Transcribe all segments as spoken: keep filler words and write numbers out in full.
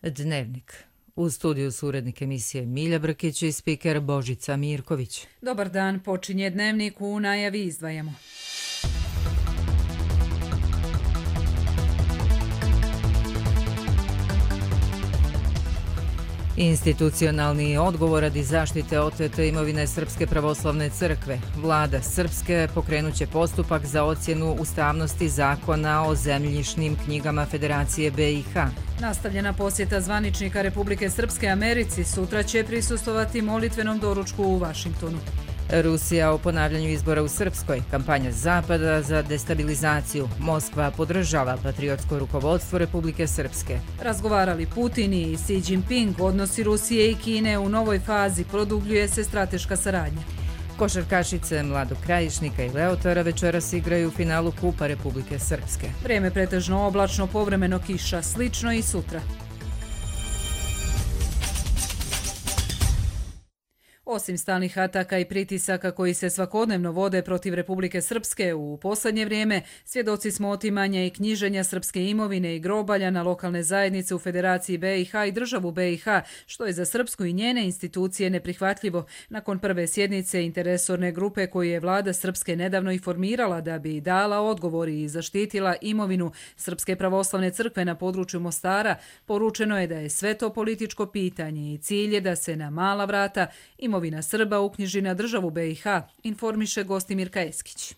Dnevnik. U studiju su urednik emisije Milja Brkić i spiker Božica Mirković. Dobar dan, počinje Dnevnik, u najavi izdvajamo. Institucionalni odgovor radi zaštite otete imovine Srpske pravoslavne crkve. Vlada Srpske pokrenuće postupak za ocjenu ustavnosti zakona o zemljišnim knjigama Federacije B i H. Nastavljena posjeta zvaničnika Republike Srpske Americi, sutra će prisustovati molitvenom doručku u Vašingtonu. Rusija o ponavljanju izbora u Srpskoj, kampanja Zapada za destabilizaciju. Moskva podržava patriotsko rukovodstvo Republike Srpske. Razgovarali Putin i Xi Jinping, odnosi Rusije i Kine u novoj fazi, produbljuje se strateška saradnja. Košarkašice Mladog Krajišnika i Leotara večeras igraju u finalu Kupa Republike Srpske. Vrijeme pretežno oblačno, povremeno kiša, slično i sutra. Osim stalnih ataka i pritisaka koji se svakodnevno vode protiv Republike Srpske, u posljednje vrijeme svjedoci smo otimanja i knjiženja srpske imovine i grobalja na lokalne zajednice u Federaciji B i H i državu B i H, što je za Srpsku i njene institucije neprihvatljivo. Nakon prve sjednice interesorne grupe koju je vlada Srpske nedavno i formirala da bi dala odgovor i zaštitila imovinu Srpske pravoslavne crkve na području Mostara, poručeno je da je sve to političko pitanje i cilj je da se na mala vrata imovina Imovina Srba uknjiži na državu B i H, informiše Gostimirka Eskić.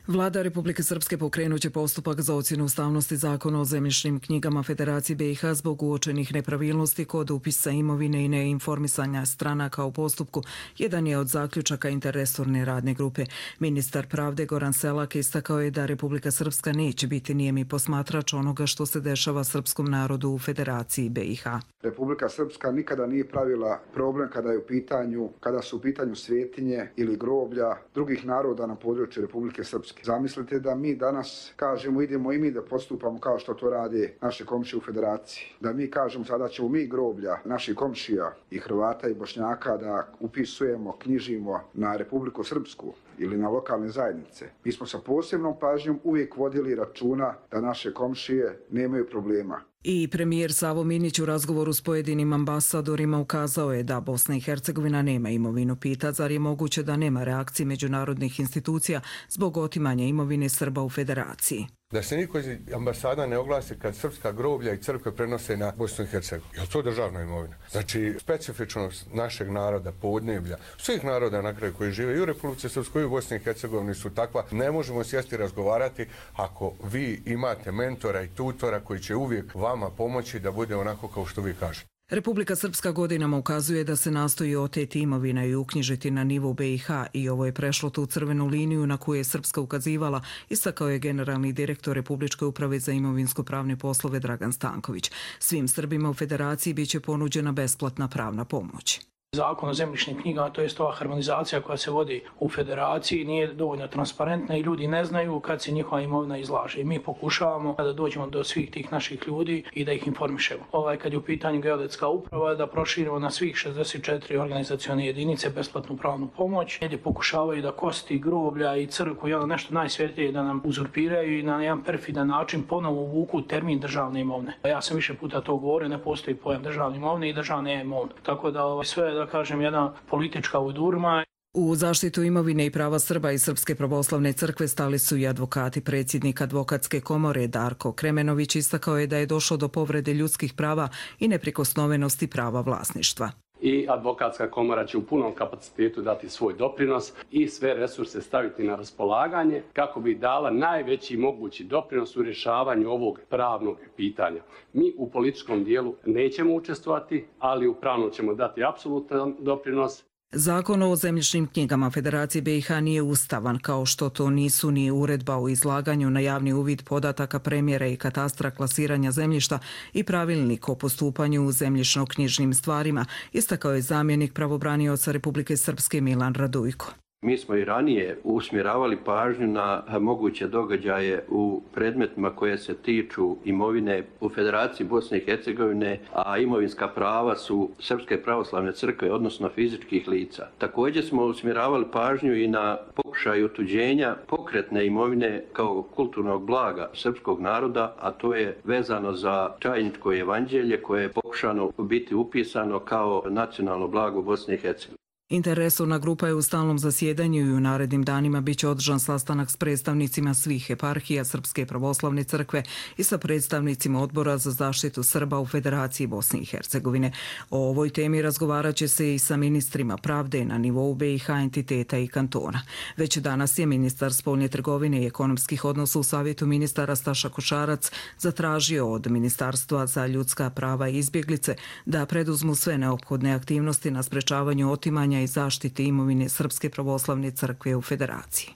Vlada Republike Srpske pokrenuće postupak za ocjenu ustavnosti zakona o zemljišnim knjigama Federacije B i H zbog uočenih nepravilnosti kod upisa imovine i neinformisanja stranaka u postupku. Jedan je od zaključaka interresorne radne grupe. Ministar pravde Goran Selak istakao je da Republika Srpska neće biti nijemi posmatrač onoga što se dešava srpskom narodu u Federaciji B i H. Republika Srpska nikada nije pravila problem kada je u pitanju, kada su u pitanju svetinje ili groblja drugih naroda na području Republike Srpske. Zamislite da mi danas kažemo idemo i mi da postupamo kao što to rade naše komšije u Federaciji. Da mi kažemo sada ćemo mi groblja naših komšija i Hrvata i Bošnjaka da upisujemo, knjižimo na Republiku Srpsku ili na lokalne zajednice. Mi smo sa posebnom pažnjom uvijek vodili računa da naše komšije nemaju problema. I premijer Savo Minić u razgovoru s pojedinim ambasadorima ukazao je da Bosna i Hercegovina nema imovinu. Pita zar je moguće da nema reakcije međunarodnih institucija zbog otimanja imovine Srba u Federaciji. Da se niko iz ambasada ne oglasi kad srpska groblja i crkve prenose na Bosnu i Hercegovinu. Je li to državna imovina? Znači, specifičnost našeg naroda, podneblja, svih naroda na kraju koji žive i u Republici Srpskoj i u Bosni i Hercegovini su takva. Ne možemo sjesti razgovarati ako vi imate mentora i tutora koji će uvijek vama pomoći da bude onako kao što vi kažete. Republika Srpska godinama ukazuje da se nastoji oteti imovina i uknjižiti na nivo B i H i ovo je prešlo tu crvenu liniju na koju je Srpska ukazivala, istakao je generalni direktor Republičke uprave za imovinsko-pravne poslove Dragan Stanković. Svim Srbima u Federaciji biće ponuđena besplatna pravna pomoć. Zakon o zemljišnim knjigama, to je ova harmonizacija koja se vodi u Federaciji, nije dovoljno transparentna i ljudi ne znaju kad se njihova imovina izlaže. I mi pokušavamo da dođemo do svih tih naših ljudi i da ih informišemo. Ovaj, kad je u pitanju geodetska uprava, da proširimo na svih šezdeset četiri organizacione jedinice besplatnu pravnu pomoć, gdje pokušavaju da kosti, groblja i crkvu i ono nešto najsvjetije da nam uzurpiraju i na jedan perfidan način ponovo uvuku termin državne imovine. Ja sam više puta to govorio, ne postoji pojam državne imovine i državne imovine. Tako da ovaj, sve da kažem, jedna politička udurma. U zaštitu imovine i prava Srba i Srpske pravoslavne crkve stali su i advokati. Predsjednik advokatske komore Darko Kremenović istakao je da je došlo do povrede ljudskih prava i neprikosnovenosti prava vlasništva. I advokatska komora će u punom kapacitetu dati svoj doprinos i sve resurse staviti na raspolaganje kako bi dala najveći mogući doprinos u rješavanju ovog pravnog pitanja. Mi u političkom dijelu nećemo učestvovati, ali u pravnom ćemo dati apsolutan doprinos. Zakon o zemljišnim knjigama Federacije B i H nije ustavan, kao što to nisu ni uredba o izlaganju na javni uvid podataka premjera i katastra klasiranja zemljišta i pravilnik o postupanju u zemljišno-knjižnim stvarima, istakao je zamjenik pravobranioca Republike Srpske Milan Radujko. Mi smo i ranije usmjeravali pažnju na moguće događaje u predmetima koje se tiču imovine u Federaciji Bosne i Hercegovine, a imovinska prava su Srpske pravoslavne crkve, odnosno fizičkih lica. Također smo usmjeravali pažnju i na pokušaj otuđenja pokretne imovine kao kulturnog blaga srpskog naroda, a to je vezano za Čajničko evanđelje koje je pokušano biti upisano kao nacionalno blago Bosne i Hercegovine. Interresorna grupa je u stalnom zasjedanju i u narednim danima bit će održan sastanak s predstavnicima svih eparhija Srpske pravoslavne crkve i sa predstavnicima Odbora za zaštitu Srba u Federaciji Bosne i Hercegovine. O ovoj temi razgovarat će se i sa ministrima pravde na nivou B i H entiteta i kantona. Već danas je ministar spoljne trgovine i ekonomskih odnosa u Savjetu ministara Staša Košarac zatražio od Ministarstva za ljudska prava i izbjeglice da preduzmu sve neophodne aktivnosti na sprečavanju otimanja i zaštite imovine Srpske pravoslavne crkve u Federaciji.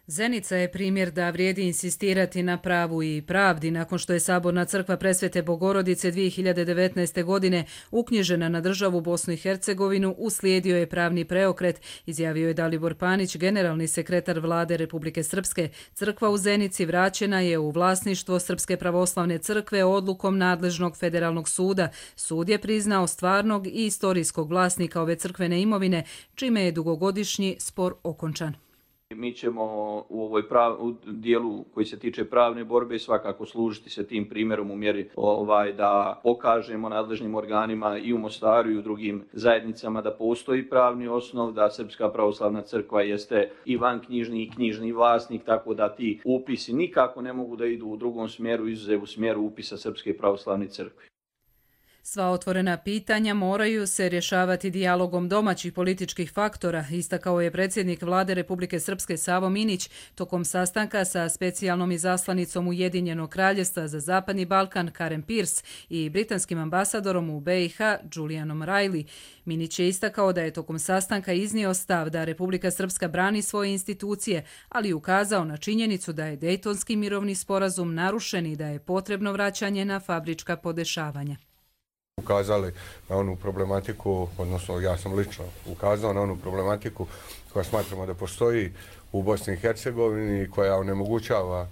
Zenica je primjer da vrijedi insistirati na pravu i pravdi. Nakon što je Saborna crkva Presvete Bogorodice dvije hiljade devetnaeste. godine uknjižena na državu Bosnu i Hercegovinu, uslijedio je pravni preokret, izjavio je Dalibor Panić, generalni sekretar vlade Republike Srpske. Crkva u Zenici vraćena je u vlasništvo Srpske pravoslavne crkve odlukom nadležnog federalnog suda. Sud je priznao stvarnog i istorijskog vlasnika ove crkvene imovine, čime je dugogodišnji spor okončan. Mi ćemo u ovoj prav, u dijelu koji se tiče pravne borbe svakako služiti se tim primjerom u mjeri ovaj, da pokažemo nadležnim organima i u Mostaru i u drugim zajednicama da postoji pravni osnov, da Srpska pravoslavna crkva jeste i vanknjižni i knjižni vlasnik, tako da ti upisi nikako ne mogu da idu u drugom smjeru, izuzev u smjeru upisa Srpske pravoslavne crkve. Sva otvorena pitanja moraju se rješavati dijalogom domaćih političkih faktora, istakao je predsjednik vlade Republike Srpske Savo Minić tokom sastanka sa specijalnom izaslanicom Ujedinjenog kraljevstva za Zapadni Balkan Karen Pierce i britanskim ambasadorom u B i H Julianom Riley. Minić je istakao da je tokom sastanka iznio stav da Republika Srpska brani svoje institucije, ali ukazao na činjenicu da je Dejtonski mirovni sporazum narušen i da je potrebno vraćanje na fabrička podešavanja. Ukazali na onu problematiku, odnosno ja sam lično ukazao na onu problematiku koja smatramo da postoji u Bosni i Hercegovini, koja onemogućava e,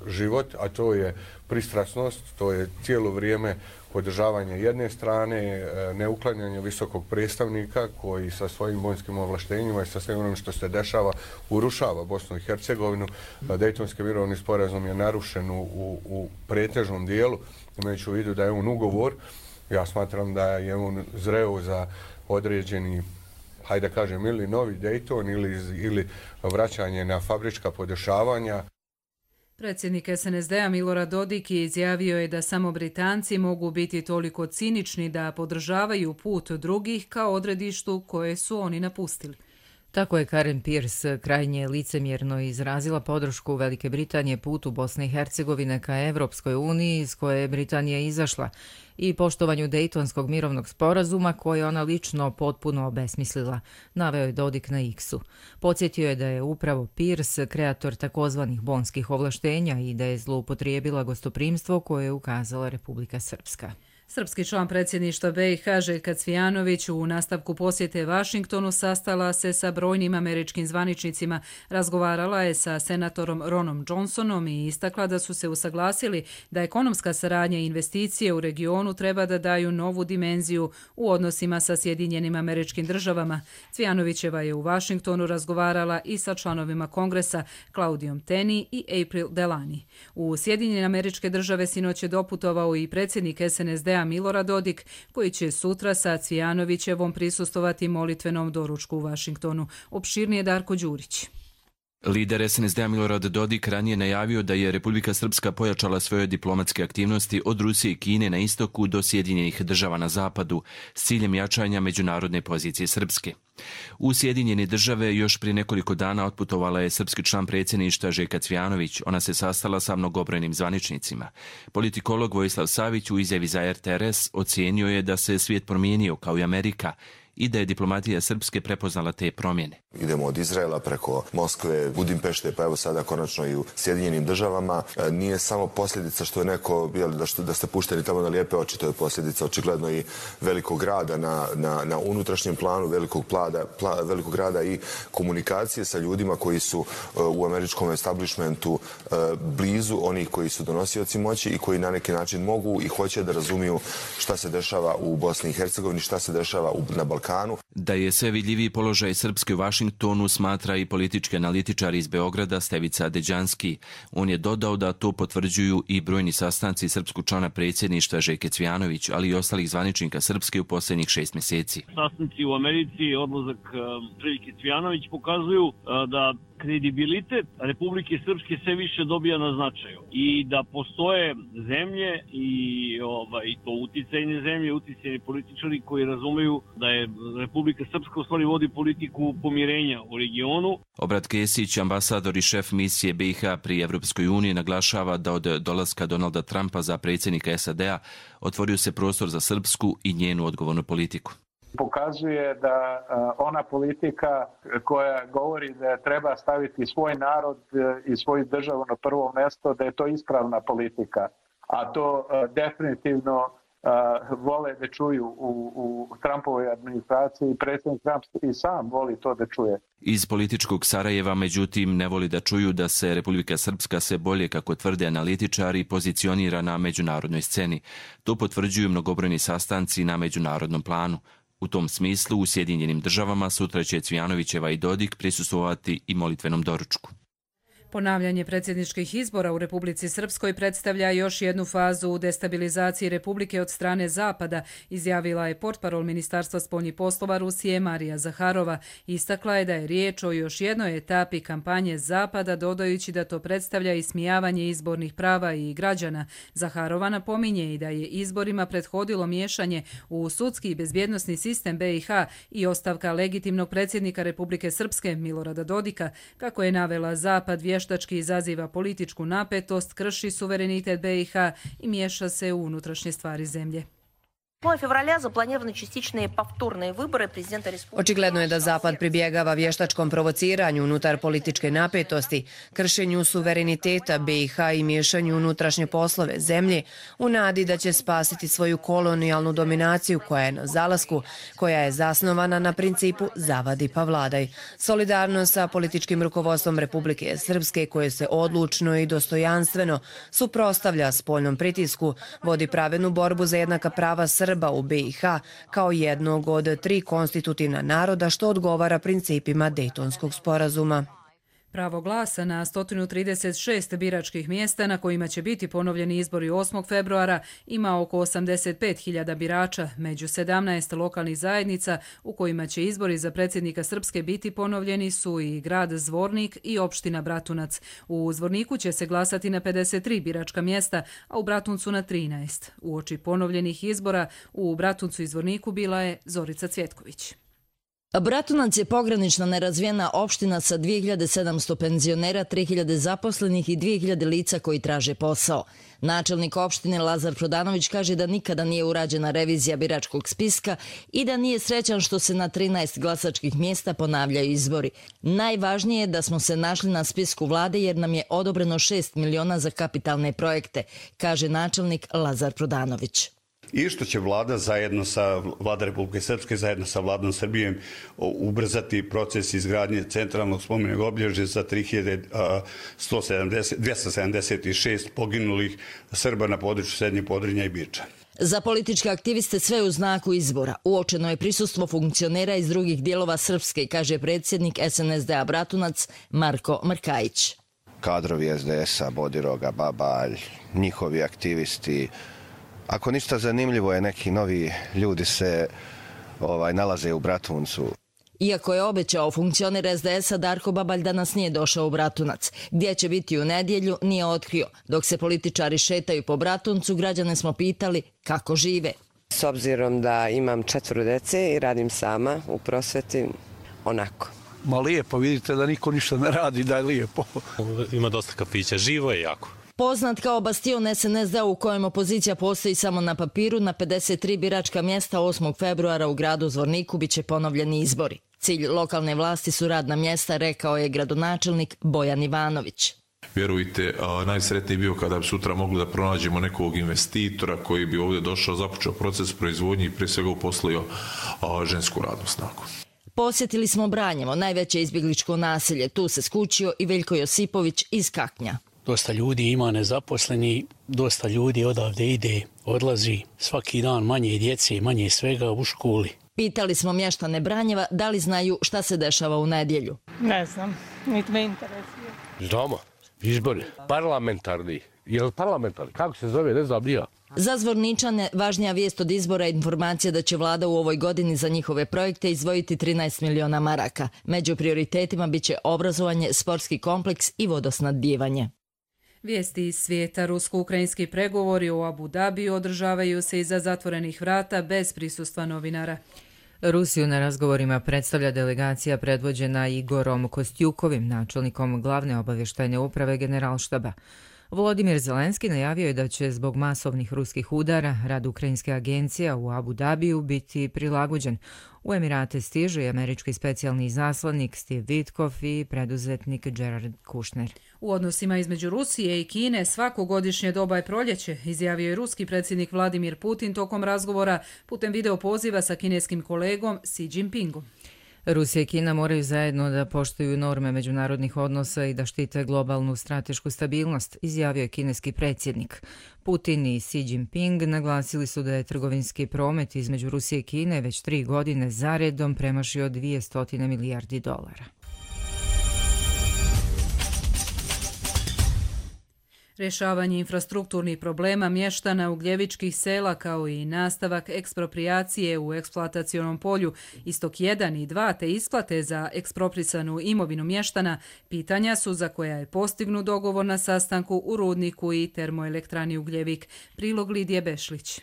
život, a to je pristrasnost, to je cijelo vrijeme podržavanje jedne strane, e, neuklanjanje visokog predstavnika koji sa svojim vojnskim ovlaštenjima i sa svim onim što se dešava urušava Bosnu i Hercegovinu. Dejtonski mirovni sporazum je narušen u, u, u pretežnom dijelu, imajući u vidu da je on ugovor. Ja smatram da je on zreo za određeni, hajde da kažem, ili novi Dayton ili, ili vraćanje na fabrička podešavanja. Predsjednik S N S D-a Milorad Dodik izjavio je da samo Britanci mogu biti toliko cinični da podržavaju put drugih kao odredištu koje su oni napustili. Tako je Karen Pierce krajnje licemjerno izrazila podršku Velike Britanije putu Bosne i Hercegovine ka Evropskoj uniji iz koje je Britanija izašla i poštovanju Dejtonskog mirovnog sporazuma koje ona lično potpuno obesmislila, naveo je Dodik na X-u. Podsjetio je da je upravo Pierce kreator takozvanih bonskih ovlaštenja i da je zloupotrijebila gostoprimstvo koje je ukazala Republika Srpska. Srpski član predsjedništva B i H Željka Cvijanović u nastavku posjete Vašingtonu sastala se sa brojnim američkim zvaničnicima, razgovarala je sa senatorom Ronom Johnsonom i istakla da su se usaglasili da ekonomska saradnja i investicije u regionu treba da daju novu dimenziju u odnosima sa Sjedinjenim Američkim Državama. Cvijanovićeva je u Vašingtonu razgovarala i sa članovima Kongresa Claudijom Tenney i April Delany. U Sjedinjene Američke Države sinoć je doputovao i predsjednik S N S D-a Milorad Dodik, koji će sutra sa Cvijanovićevom prisustovati molitvenom doručku u Vašingtonu. Opširnije Darko Đurić. Lider S N S D-a Milorad Dodik ranije najavio da je Republika Srpska pojačala svoje diplomatske aktivnosti od Rusije i Kine na istoku do Sjedinjenih Država na zapadu s ciljem jačanja međunarodne pozicije Srpske. U Sjedinjene Države još prije nekoliko dana otputovala je srpski član predsjedništva Željka Cvijanović. Ona se sastala sa mnogobrojnim zvaničnicima. Politikolog Vojislav Savić u izjavi za R T R S ocijenio je da se svijet promijenio kao i Amerika i da je diplomatija Srpske prepoznala te promjene. Idemo od Izraela preko Moskve, Budimpešte, pa evo sada konačno i u Sjedinjenim državama. Nije samo posljedica što je neko, da, što, da ste pušteni tamo na lijepe oči, to je posljedica očigledno i velikog rada na, na, na unutrašnjem planu, velikog, plada, pla, velikog rada i komunikacije sa ljudima koji su u američkom establishmentu blizu onih koji su donosioci moći i koji na neki način mogu i hoće da razumiju šta se dešava u Bosni i Hercegovini, šta se dešava na Balkanu. Da je sve vidljiviji položaj Srpske u Vašingtonu smatra i politički analitičar iz Beograda Stevica Deđanski. On je dodao da to potvrđuju i brojni sastanci srpskog člana predsjedništva Željke Cvijanović, ali i ostalih zvaničnika Srpske u posljednjih šest mjeseci. Sastanci u Americi, odlazak Željke Cvijanović pokazuju da kredibilitet Republike Srpske sve više dobija na značaju i da postoje zemlje i ovaj, to uticajne zemlje, uticajni političari koji razumeju da je Republika Srpska u stvari vodi politiku pomirenja u regionu. Obrat Kesić, ambasador i šef misije B i H pri Evropskoj uniji, naglašava da od dolaska Donalda Trumpa za predsjednika S A D-a otvorio se prostor za srpsku i njenu odgovornu politiku. Pokazuje da ona politika koja govori da treba staviti svoj narod i svoju državu na prvo mjesto, da je to ispravna politika. A to definitivno vole da čuju u, u Trumpovoj administraciji i predsjednik Trump i sam voli to da čuje. Iz političkog Sarajeva, međutim, ne voli da čuju da se Republika Srpska sve bolje, kako tvrde analitičari, pozicionira na međunarodnoj sceni. To potvrđuju mnogobrojni sastanci na međunarodnom planu. U tom smislu, u Sjedinjenim državama sutra će Cvijanovićeva i Dodik prisustvovati i molitvenom doručku. Ponavljanje predsjedničkih izbora u Republici Srpskoj predstavlja još jednu fazu u destabilizaciji Republike od strane Zapada, izjavila je portparol Ministarstva spoljnih poslova Rusije Marija Zaharova. Istakla je da je riječ o još jednoj etapi kampanje Zapada, dodajući da to predstavlja ismijavanje izbornih prava i građana. Zaharova napominje i da je izborima prethodilo miješanje u sudski i bezbjednosni sistem B i H i ostavka legitimnog predsjednika Republike Srpske Milorada Dodika. Kako je navela, Zapad vještački izaziva političku napetost, krši suverenitet B i H i miješa se u unutrašnje stvari zemlje. Očigledno je da Zapad pribjegava vještačkom provociranju unutar političke napetosti, kršenju suvereniteta B i H i miješanju unutrašnje poslove zemlje u nadi da će spasiti svoju kolonijalnu dominaciju koja je na zalasku, koja je zasnovana na principu zavadi pa vladaj. Solidarno sa političkim rukovodstvom Republike Srpske, koje se odlučno i dostojanstveno suprotstavlja spoljnom pritisku, vodi pravednu borbu za jednaka prava Srba u B i H kao jednog od tri konstitutivna naroda, što odgovara principima Dejtonskog sporazuma. Pravo glasa na sto trideset šest biračkih mjesta na kojima će biti ponovljeni izbori osmog februara ima oko osamdeset pet hiljada birača, među sedamnaest lokalnih zajednica u kojima će izbori za predsjednika Srpske biti ponovljeni su i grad Zvornik i opština Bratunac. U Zvorniku će se glasati na pedeset tri biračka mjesta, a u Bratuncu na trinaest. Uoči ponovljenih izbora u Bratuncu i Zvorniku bila je Zorica Cvjetković. Bratunac je pogranična nerazvijena opština sa dvije hiljade sedamsto penzionera, tri hiljade zaposlenih i dvije hiljade lica koji traže posao. Načelnik opštine Lazar Prodanović kaže da nikada nije urađena revizija biračkog spiska i da nije srećan što se na trinaest glasačkih mjesta ponavljaju izbori. Najvažnije je da smo se našli na spisku vlade jer nam je odobreno šest miliona za kapitalne projekte, kaže načelnik Lazar Prodanović. I što će vlada zajedno sa vlada Republike Srpske, zajedno sa vladom Srbije ubrzati proces izgradnje centralnog spomenog obilježja za tri hiljade dvjesto sedamdeset šest poginulih Srba na području Srednjeg Podrinja i Biča. Za političke aktiviste sve u znaku izbora. Uočeno je prisustvo funkcionera iz drugih dijelova Srpske, kaže predsjednik S N S D-a Bratunac Marko Mrkajić. Kadrovi S D S-a, Bodiroga, Babalj, njihovi aktivisti. Ako ništa zanimljivo je, neki novi ljudi se ovaj, nalaze u Bratuncu. Iako je obećao funkcioner S D S-a, Darko Babalj danas nije došao u Bratunac. Gdje će biti u nedjelju nije otkrio. Dok se političari šetaju po Bratuncu, građane smo pitali kako žive. S obzirom da imam četvoro dece i radim sama u prosveti, onako. Ma lijepo, vidite da niko ništa ne radi, da je lijepo. Ima dosta kafića, živo je jako. Poznat kao bastion S N S D u kojem opozicija postoji samo na papiru, na pedeset tri biračka mjesta osmog februara u gradu Zvorniku biće ponovljeni izbori. Cilj lokalne vlasti su radna mjesta, rekao je gradonačelnik Bojan Ivanović. Vjerujte, najsretniji bio kada bi sutra mogli da pronađemo nekog investitora koji bi ovdje došao, započeo proces proizvodnje i prije svega uposlio žensku radnu snagu. Posjetili smo Branjevo, najveće izbjegličko naselje. Tu se skučio i Veljko Josipović iz Kaknja. Dosta ljudi ima nezaposleni, dosta ljudi odavde ide, odlazi. Svaki dan manje djece, manje svega u školi. Pitali smo mještane Branjeva da li znaju šta se dešava u nedjelju. Ne znam, niti me interesuje. Znamo, izbori, parlamentarni. Je li parlamentarni? Kako se zove, ne znam, nije. Za Zvorničane važnija vijest od izbora je informacija da će vlada u ovoj godini za njihove projekte izdvojiti trinaest miliona maraka. Među prioritetima biće obrazovanje, sportski kompleks i vodosnadbijevanje. Vijesti iz svijeta. Rusko-ukrajinski pregovori u Abu Dabiju održavaju se iza zatvorenih vrata bez prisustva novinara. Rusiju na razgovorima predstavlja delegacija predvođena Igorom Kostjukovim, načelnikom glavne obavještajne uprave Generalštaba. Volodimir Zelenski najavio je da će zbog masovnih ruskih udara rad ukrajinske agencije u Abu Dabiju biti prilagođen. U Emirate stiže i američki specijalni izaslanik Steve Witkoff i preduzetnik Jared Kushner. U odnosima između Rusije i Kine svako godišnje doba je proljeće, izjavio je ruski predsjednik Vladimir Putin tokom razgovora putem video poziva sa kineskim kolegom Xi Jinpingom. Rusija i Kina moraju zajedno da poštuju norme međunarodnih odnosa i da štite globalnu stratešku stabilnost, izjavio je kineski predsjednik. Putin i Xi Jinping naglasili su da je trgovinski promet između Rusije i Kine već tri godine zaredom premašio dvjesto milijardi dolara. Rješavanje infrastrukturnih problema mještana ugljevičkih sela kao i nastavak ekspropriacije u eksploatacionom polju Istok jedan i dva te isplate za eksproprisanu imovinu mještana pitanja su za koja je postignut dogovor na sastanku u rudniku i termoelektrani Ugljevik. Prilog Lidije Bešlić.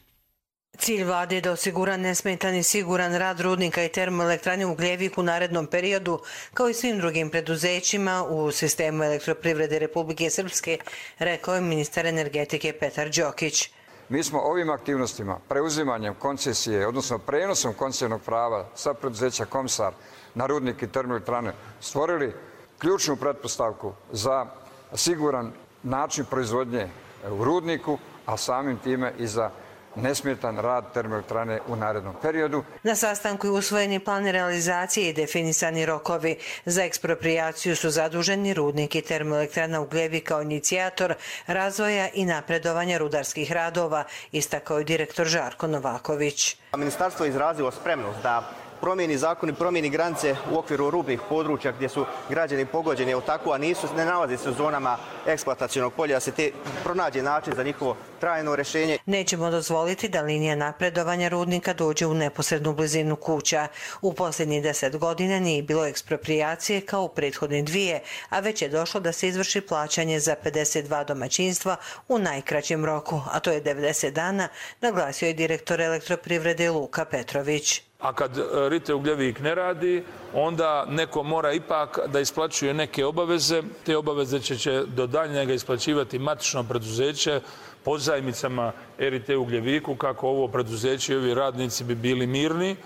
Cilj vlade je da osigura nesmetan i siguran rad rudnika i termoelektrane Ugljevik u narednom periodu, kao i svim drugim preduzećima u sistemu elektroprivrede Republike Srpske, rekao je ministar energetike Petar Đokić. Mi smo ovim aktivnostima, preuzimanjem koncesije, odnosno prenosom koncesijnog prava sa preduzeća Komsar na rudnik i termoelektrane, stvorili ključnu pretpostavku za siguran način proizvodnje u rudniku, a samim time i za nesmetan rad termoelektrane u narednom periodu. Na sastanku je usvojeni plan realizacije i definisani rokovi. Za eksproprijaciju su zaduženi rudnik i termoelektrana Ugljevik kao inicijator razvoja i napredovanja rudarskih radova, istakao je direktor Žarko Novaković. Ministarstvo je izrazilo spremnost da promijeni zakon i promijeni granice u okviru rubnih područja gdje su građani pogođeni, tako, a nisu, ne nalazi se u zonama eksploatacionog polja, da se te pronađe način za njihovo trajno rješenje. Nećemo dozvoliti da linija napredovanja rudnika dođe u neposrednu blizinu kuća. U posljednjih deset godina nije bilo eksproprijacije kao u prethodne dvije, a već je došlo da se izvrši plaćanje za pedeset dva domaćinstva u najkraćem roku, a to je devedeset dana, naglasio je direktor elektroprivrede Luka Petrović. A kad Rite Ugljevik ne radi, onda neko mora ipak da isplaćuje neke obaveze. Te obaveze će, će do daljnjega isplaćivati matično preduzeće pozajmicama Rite Ugljeviku, kako ovo preduzeće i ovi radnici bi bili mirni.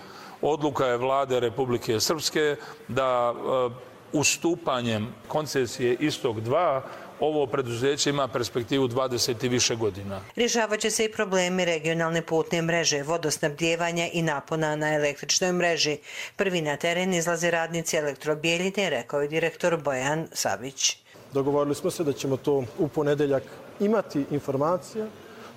Odluka je vlade Republike Srpske da ustupanjem koncesije Istok dva ovo preduzeće ima perspektivu dvadeset i više godina. Rješavat će se i problemi regionalne putne mreže, vodosnabdijevanja i napona na električnoj mreži. Prvi na teren izlaze radnici Elektrobijeljine, rekao je direktor Bojan Savić. Dogovorili smo se da ćemo to u ponedeljak imati informacija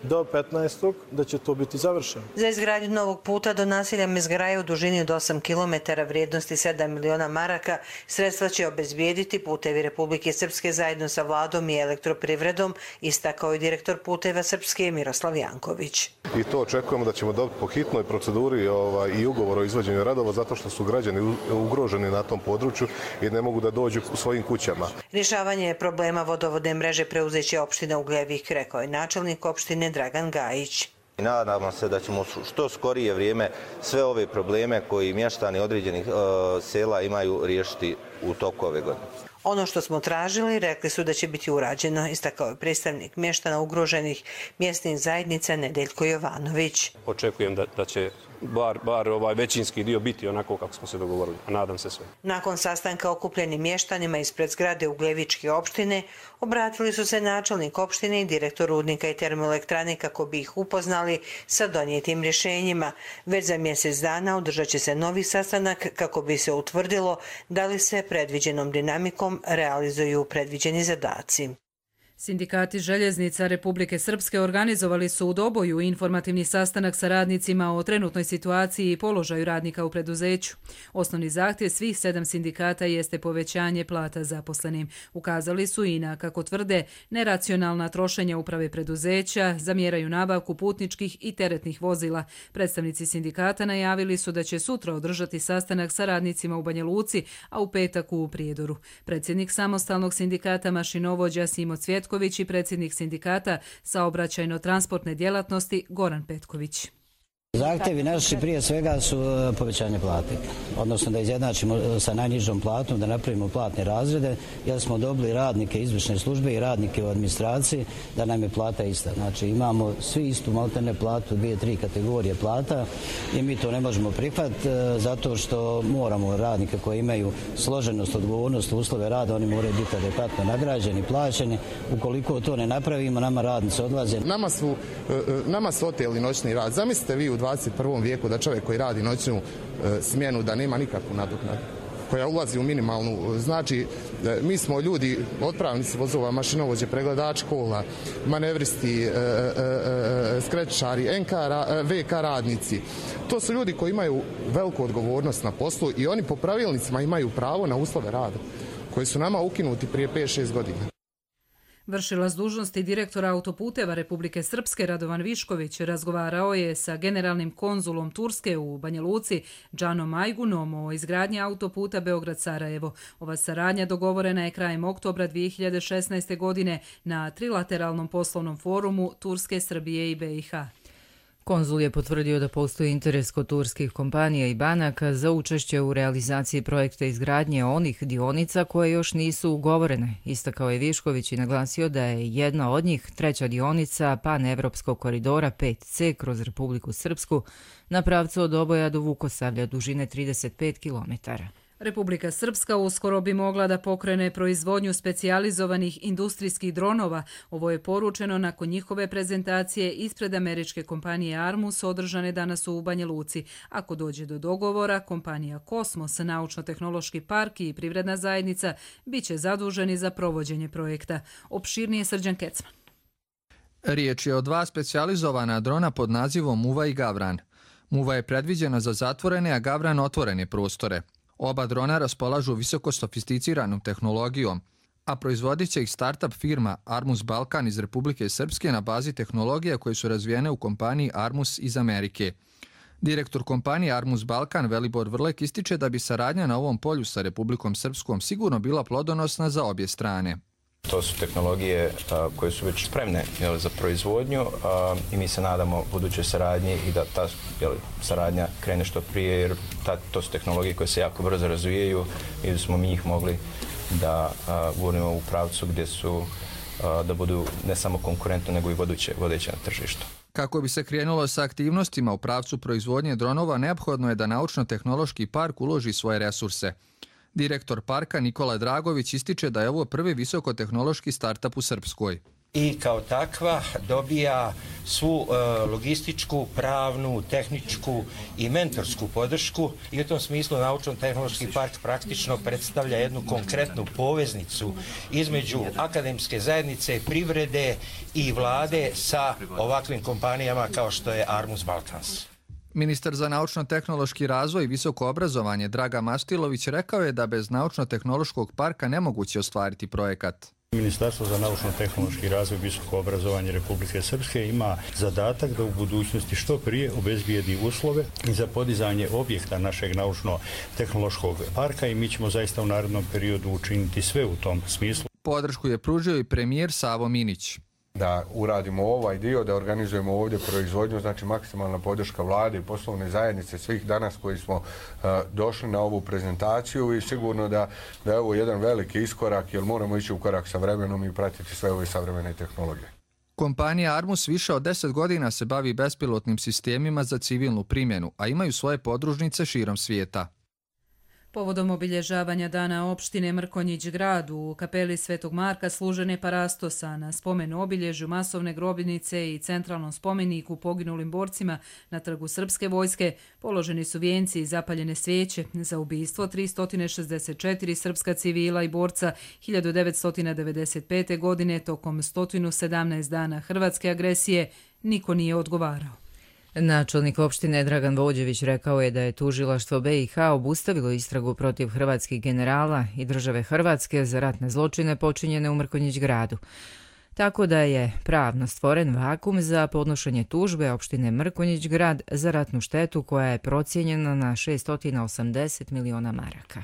do petnaestog da će to biti završeno. Za izgradnju novog puta do naselja Mezgraja u dužini od osam kilometara vrijednosti sedam miliona maraka sredstva će obezbijediti Putevi Republike Srpske zajedno sa vladom i elektroprivredom, istakao je direktor Puteva Srpske Miroslav Janković. I to očekujemo da ćemo dobiti po hitnoj proceduri ovaj, i ugovor o izvođenju radova zato što su građani ugroženi na tom području i ne mogu da dođu u svojim kućama. Rješavanje problema vodovodne mreže preuzeće opština Ugljevik, rekao je načelnik opštine Dragan Gajić. Nadamo se da ćemo što skorije vrijeme sve ove probleme koji mještani određenih uh, sela imaju riješiti u toku ove godine. Ono što smo tražili, rekli su da će biti urađeno, istakao je predstavnik mještana ugroženih mjesnih zajednica Nedeljko Jovanović. Očekujem da, da će bar, bar ovaj većinski dio biti onako kako smo se dogovorili, a nadam se sve. Nakon sastanka okupljenim mještanima ispred zgrade Ugljevičke opštine, obratili su se načelnik opštine i direktor rudnika i termoelektrane kako bi ih upoznali sa donijetim rješenjima. Već za mjesec dana održat će se novi sastanak kako bi se utvrdilo da li se predviđenom dinamikom realizuju predviđeni zadaci. Sindikati željeznica Republike Srpske organizovali su u Doboju informativni sastanak sa radnicima o trenutnoj situaciji i položaju radnika u preduzeću. Osnovni zahtjev svih sedam sindikata jeste povećanje plata zaposlenim. Ukazali su i na, kako tvrde, neracionalna trošenja uprave preduzeća, zamjeraju nabavku putničkih i teretnih vozila. Predstavnici sindikata najavili su da će sutra održati sastanak sa radnicima u Banja Luci, a u petak u Prijedoru. Predsjednik samostalnog sindikata mašinovođa Simo Cvjetko i predsjednik sindikata saobraćajno-transportne djelatnosti Goran Petković. Zahtjevi naši prije svega su povećanje plate, odnosno da izjednačimo sa najnižom platom, da napravimo platne razrede, jer smo dobili radnike izvršne službe i radnike u administraciji, da nam je plata ista. Znači imamo svi istu maltene platu, dvije, tri kategorije plata i mi to ne možemo prihvatiti zato što moramo radnike koji imaju složenost, odgovornost, uslove rada, oni moraju biti adekvatno nagrađeni, plaćeni. Ukoliko to ne napravimo, nama radnici odlaze. Nama su, nama su oteli noćni rad. Zamislite vi u dvadeset prvom vijeku da čovjek koji radi noćnu e, smjenu da nema nikakvu nadoknadu koja ulazi u minimalnu. Znači, e, mi smo ljudi, otpravnici vozova, mašinovođe, pregledači kola, manevristi, e, e, e, skretčari, en ka, ve ka radnici. To su ljudi koji imaju veliku odgovornost na poslu i oni po pravilnicima imaju pravo na uslove rada koji su nama ukinuti prije pet šest godina. Vršilac dužnosti direktora autoputeva Republike Srpske Radovan Višković razgovarao je sa generalnim konzulom Turske u Banja Luci Džanom Ajgunom o izgradnji autoputa Beograd-Sarajevo. Ova saradnja dogovorena je krajem oktobra dvije hiljade šesnaeste. godine na trilateralnom poslovnom forumu Turske, Srbije i be i ha. Konzul je potvrdio da postoji interes kod turskih kompanija i banaka za učešće u realizaciji projekta izgradnje onih dionica koje još nisu ugovorene. Istakao je Višković i naglasio da je jedna od njih, treća dionica panevropskog koridora pet ce kroz Republiku Srpsku na pravcu od Doboja do Vukosavlja dužine trideset pet kilometara. Republika Srpska uskoro bi mogla da pokrene proizvodnju specijalizovanih industrijskih dronova. Ovo je poručeno nakon njihove prezentacije ispred američke kompanije Armus održane danas u Banja Luci. Ako dođe do dogovora, kompanija Kosmos, naučno-tehnološki park i privredna zajednica bit će zaduženi za provođenje projekta. Opširnije Srđan Kecman. Riječ je o dva specijalizovana drona pod nazivom Muva i Gavran. Muva je predviđena za zatvorene, a Gavran otvorene prostore. Oba drona raspolažu visoko sofisticiranom tehnologijom, a proizvodit će ih startup firma Armus Balkan iz Republike Srpske na bazi tehnologija koje su razvijene u kompaniji Armus iz Amerike. Direktor kompanije Armus Balkan Velibor Vrlek ističe da bi saradnja na ovom polju sa Republikom Srpskom sigurno bila plodonosna za obje strane. To su tehnologije a, koje su već spremne jel, za proizvodnju a, i mi se nadamo budućoj saradnji i da ta jel, saradnja krene što prije jer ta, to su tehnologije koje se jako brzo razvijaju i da smo mi njih mogli da gurnemo u pravcu gdje su a, da budu ne samo konkurentne nego i vodeće, vodeće na tržištu. Kako bi se krenulo sa aktivnostima u pravcu proizvodnje dronova, neophodno je da naučno-tehnološki park uloži svoje resurse. Direktor parka Nikola Dragović ističe da je ovo prvi visokotehnološki startup u Srpskoj. I kao takva dobija svu e, logističku, pravnu, tehničku i mentorsku podršku i u tom smislu naučno-tehnološki park praktično predstavlja jednu konkretnu poveznicu između akademske zajednice, privrede i vlade sa ovakvim kompanijama kao što je Armus Balkans. Ministar za naučno-tehnološki razvoj i visoko obrazovanje Draga Mastilović rekao je da bez naučno-tehnološkog parka nemoguće ostvariti projekat. Ministarstvo za naučno-tehnološki razvoj i visoko obrazovanje Republike Srpske ima zadatak da u budućnosti što prije obezbijedi uslove za podizanje objekta našeg naučno-tehnološkog parka i mi ćemo zaista u narednom periodu učiniti sve u tom smislu. Podršku je pružio i premijer Savo Minić. da uradimo ovaj dio, da organizujemo ovdje proizvodnju, znači maksimalna podrška vlade i poslovne zajednice svih danas koji smo uh, došli na ovu prezentaciju i sigurno da, da je ovo jedan veliki iskorak jer moramo ići u korak sa vremenom i pratiti sve ove savremene tehnologije. Kompanija Armus više od deset godina se bavi bespilotnim sistemima za civilnu primjenu, a imaju svoje podružnice širom svijeta. Povodom obilježavanja dana opštine Mrkonjić grad u kapeli Svetog Marka služen je parastosa na spomenu obilježju masovne grobnice i centralnom spomeniku poginulim borcima na trgu Srpske vojske. Položeni su vijenci i zapaljene svijeće za ubistvo tristo šezdeset četiri srpska civila i borca hiljadu devetsto devedeset pete. godine tokom sto sedamnaest dana hrvatske agresije. Niko nije odgovarao. Načelnik opštine Dragan Vođević rekao je da je tužilaštvo B i H obustavilo istragu protiv hrvatskih generala i države Hrvatske za ratne zločine počinjene u Mrkonjić gradu. Tako da je pravno stvoren vakum za podnošenje tužbe opštine Mrkonjić grad za ratnu štetu koja je procijenjena na šesto osamdeset miliona maraka.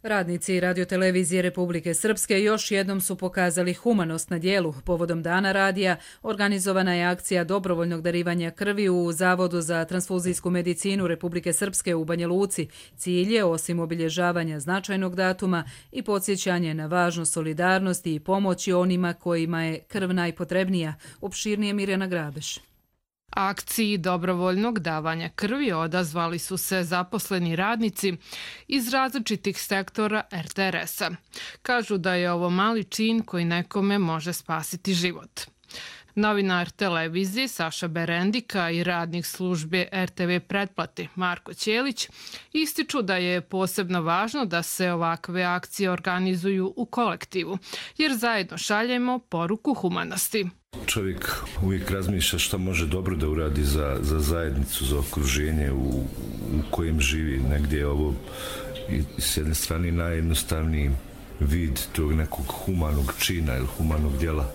Radnici radiotelevizije Republike Srpske još jednom su pokazali humanost na dijelu. Povodom Dana radija organizovana je akcija dobrovoljnog darivanja krvi u Zavodu za transfuzijsku medicinu Republike Srpske u Banja Luci. Cilj je, osim obilježavanja značajnog datuma, i podsjećanje na važnost solidarnosti i pomoći onima kojima je krv najpotrebnija. Opširnije Mirjana Grabeš. Akciji dobrovoljnog davanja krvi odazvali su se zaposleni radnici iz različitih sektora R T R S-a. Kažu da je ovo mali čin koji nekome može spasiti život. Novinar televizije Saša Berendika i radnik službe R T V pretplate Marko Ćelić ističu da je posebno važno da se ovakve akcije organizuju u kolektivu, jer zajedno šaljemo poruku humanosti. Čovjek uvijek razmišlja šta može dobro da uradi za, za zajednicu, za okruženje u, u kojem živi. Negdje je ovo i s jedne strane najjednostavniji vid tog nekog humanog čina ili humanog djela.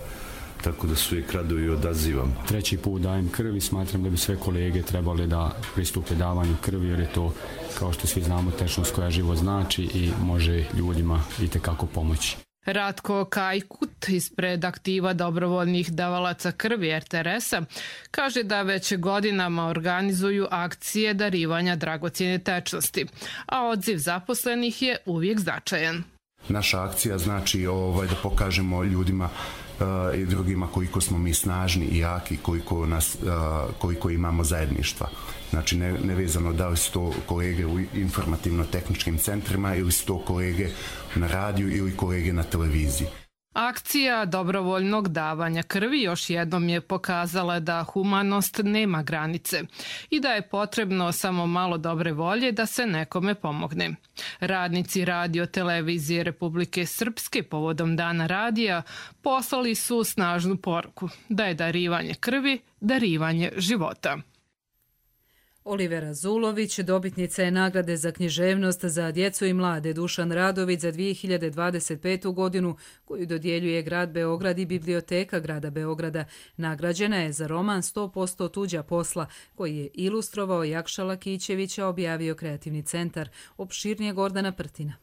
Tako da su uvijek rado i odazivam. Treći put dajem krv i smatram da bi sve kolege trebali da pristupe davanju krvi, jer je to, kao što svi znamo, tečnost koja život znači i može ljudima itekako pomoći. Ratko Kajkut ispred aktiva dobrovoljnih davalaca krvi R T R S-a kaže da već godinama organizuju akcije darivanja dragocjene tečnosti, a odziv zaposlenih je uvijek značajan. Naša akcija znači ovaj, da pokažemo ljudima uh, i drugima koliko smo mi snažni i jaki, koliko, nas, uh, koliko imamo zajedništva. Znači ne, nevezano da li su to kolege u informativno-tehničkim centrima ili su to kolege na radiju ili kolege na televiziji. Akcija dobrovoljnog davanja krvi još jednom je pokazala da humanost nema granice i da je potrebno samo malo dobre volje da se nekome pomogne. Radnici radio televizije Republike Srpske povodom Dana radija poslali su snažnu poruku da je darivanje krvi darivanje života. Olivera Zulović, dobitnica je nagrade za književnost za djecu i mlade Dušan Radović za dvije hiljade dvadeset petu. godinu, koju dodjeljuje grad Beograd i Biblioteka grada Beograda. Nagrađena je za roman sto posto tuđa posla, koji je ilustrovao Jakša Lakićević, a objavio Kreativni centar. Opširnije Gordana Prtina.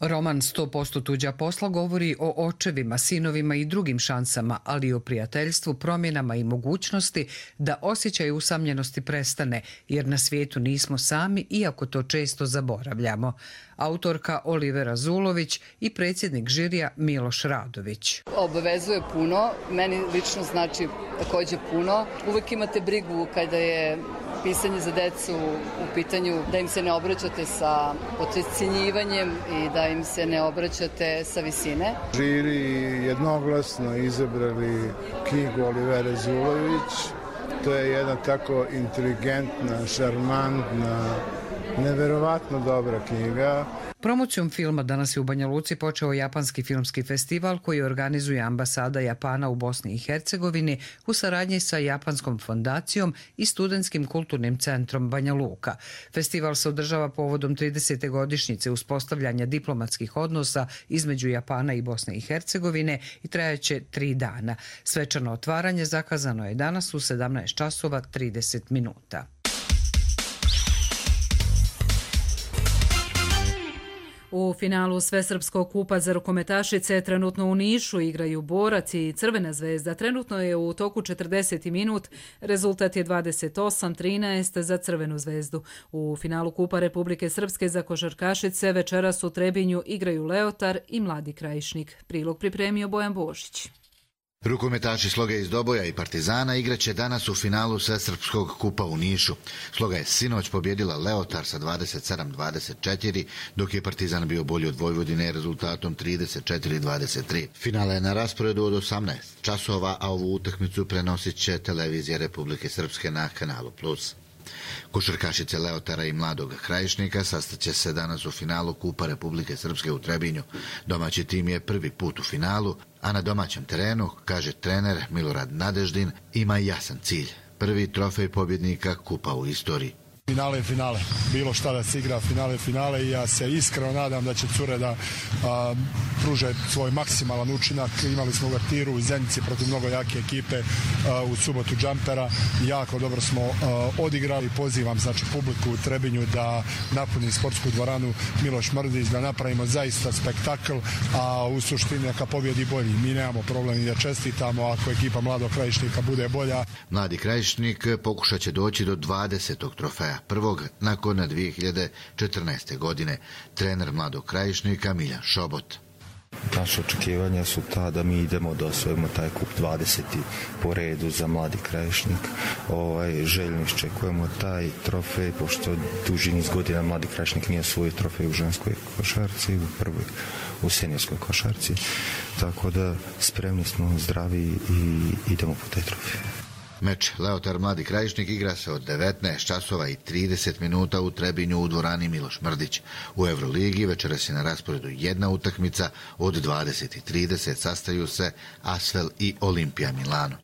Roman sto posto tuđa posla govori o očevima, sinovima i drugim šansama, ali i o prijateljstvu, promjenama i mogućnosti da osjećaj usamljenosti prestane, jer na svijetu nismo sami, iako to često zaboravljamo. Autorka Olivera Zulović i predsjednik žirija Miloš Radović. Obavezuje puno, meni lično znači također puno. Uvijek imate brigu kada je pisanje za decu u pitanju, da im se ne obraćate sa podcjenjivanjem i da im se ne obraćate sa visine. Žiri jednoglasno izabrali knjigu Olivere Zulović. To je jedna tako inteligentna, šarmantna, neverovatno dobra knjiga. Promocijom filma danas je u Banja Luci počeo Japanski filmski festival koji organizuje ambasada Japana u Bosni i Hercegovini u saradnji sa Japanskom fondacijom i Studentskim kulturnim centrom Banja Luka. Festival se održava povodom tridesete godišnjice uspostavljanja diplomatskih odnosa između Japana i Bosne i Hercegovine i trajaće tri dana. Svečano otvaranje zakazano je danas u sedamnaest časova trideset minuta. U finalu Svesrpskog kupa za rukometašice trenutno u Nišu igraju Borac i Crvena zvezda. Trenutno je u toku četrdeseti minut, rezultat je dvadeset osam trinaest za Crvenu zvezdu. U finalu Kupa Republike Srpske za košarkašice večeras u Trebinju igraju Leotar i Mladi Krajišnik. Prilog pripremio Bojan Božić. Rukometaši Sloga iz Doboja i Partizana igraće danas u finalu Svesrpskog kupa u Nišu. Sloga je sinoć pobjedila Leotar sa dvadeset sedam dvadeset četiri, dok je Partizan bio bolji od Vojvodine rezultatom trideset četiri dvadeset tri. Finale je na rasporedu od osamnaest časova, a ovu utakmicu prenosit će televizija Republike Srpske na kanalu Plus. Košarkašice Leotara i Mladog Krajišnika sastaće se danas u finalu Kupa Republike Srpske u Trebinju. Domaći tim je prvi put u finalu, a na domaćem terenu, kaže trener Milorad Nadeždin, ima jasan cilj. Prvi trofej pobjednika Kupa u istoriji. Finale je finale. Bilo šta da se igra, finale je finale i ja se iskreno nadam da će cure da a, pruže svoj maksimalan učinak. Imali smo uvertiru u Zenici protiv mnogo jake ekipe a, u subotu džampera. Jako dobro smo a, odigrali. Pozivam znači publiku u Trebinju da napuni sportsku dvoranu Miloš Mrdić, da napravimo zaista spektakl, a u suštini neka pobjedi bolji. Mi nemamo problem i da čestitamo ako ekipa Mladog Krajišnika bude bolja. Mladi Krajišnik pokušat će doći do dvadesetog trofeja. Prvog nakon dvije hiljade četrnaeste. godine. Trener Mladog Krajišnika Miljan Šobot. Naše očekivanja su ta da mi idemo da osvojimo taj kup dvadeseti po redu za Mladi Krajišnik. Ovaj, željno iščekujemo taj trofej, pošto duži niz godina Mladi Krajišnik nije osvojio trofej u ženskoj košarci, u prvoj u seniorskoj košarci. Tako da spremni smo, zdravi i idemo po taj trofej. Meč Leotar Mladi Krajišnik igra se od devetnaest časova i trideset minuta u Trebinju u dvorani Miloš Mrdić. U Euroligi večeras je na rasporedu jedna utakmica, od dvadeset trideset sastaju se Asvel i Olimpija Milano.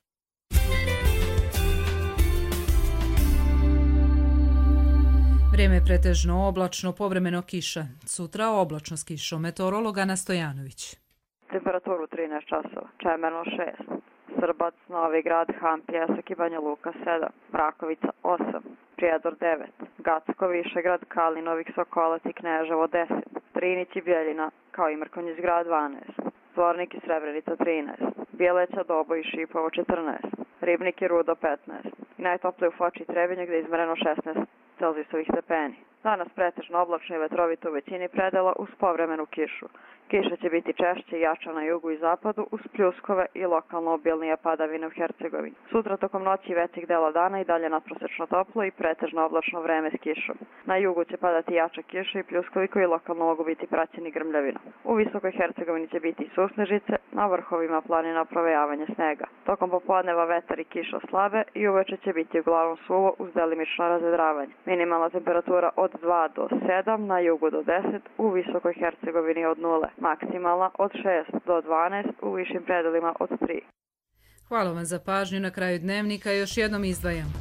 Vrijeme je pretežno oblačno, povremeno kiša. Sutra oblačno s kišom. Meteorolog Ana Stojanović. Temperaturu trinaest časova, Čemerno šest. Srbac, Novi Grad, Hampija, Seki, Banja Luka sedam, Mrakovica osam, Prijedor devet, Gacko, Višegrad, Kalinovik, Sokolac i Kneževo deset, Trinić i Bjeljina, kao i Mrkonjić Grad dvanaest, Zvornik i Srebrenica trinaest, Bjeleća, Doboj i Šipovo četrnaest, Ribnik i Rudo petnaest i najtoplije u Foči i Trebinju gdje je izmereno šesnaest Celzijusovih stepeni. Danas pretežno oblačno i vetrovito u većini predela uz povremenu kišu. Kiša će biti češće i jača na jugu i zapadu uz pljuskove i lokalno obilnije padavine u Hercegovini. Sutra tokom noći i većeg dela dana i dalje nadprosečno toplo i pretežno oblačno vreme s kišom. Na jugu će padati jača kiša i pljuskovi koji lokalno mogu biti praćeni grmljavinom. U visokoj Hercegovini će biti susnežice, na vrhovima planina provejavanje snega. Tokom popodneva vetar i kiša slabe i uveče će biti uglavnom suvo uz delimično razvedravanje. Minimalna temperatura od dva do sedam, na jugu do deset, u visokoj Hercegovini od nule. Maksimalna od šest do dvanaest, u višim predelima od tri. Hvala vam za pažnju. Na kraju dnevnika još jednom izdvajam.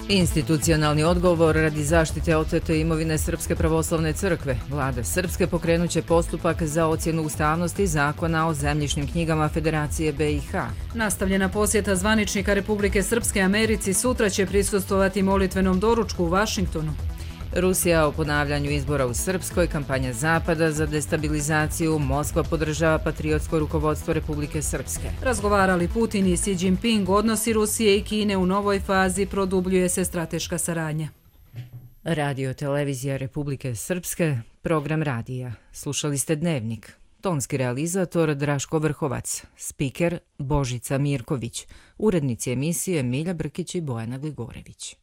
Institucionalni odgovor radi zaštite otete imovine Srpske pravoslavne crkve. Vlada Srpske pokrenuće postupak za ocjenu ustavnosti zakona o zemljišnim knjigama Federacije B i H. Nastavljena posjeta zvaničnika Republike Srpske Americi sutra će prisustvovati molitvenom doručku u Vašingtonu. Rusija o ponavljanju izbora u Srpskoj, kampanja Zapada za destabilizaciju, Moskva podržava patriotsko rukovodstvo Republike Srpske. Razgovarali Putin i Xi Jinping, odnosi Rusije i Kine u novoj fazi, produbljuje se strateška saradnja. Radio televizija Republike Srpske, program radija. Slušali ste Dnevnik. Tonski realizator Draško Vrhovac, spiker Božica Mirković, urednici emisije Milja Brkić i Bojana Gligorević.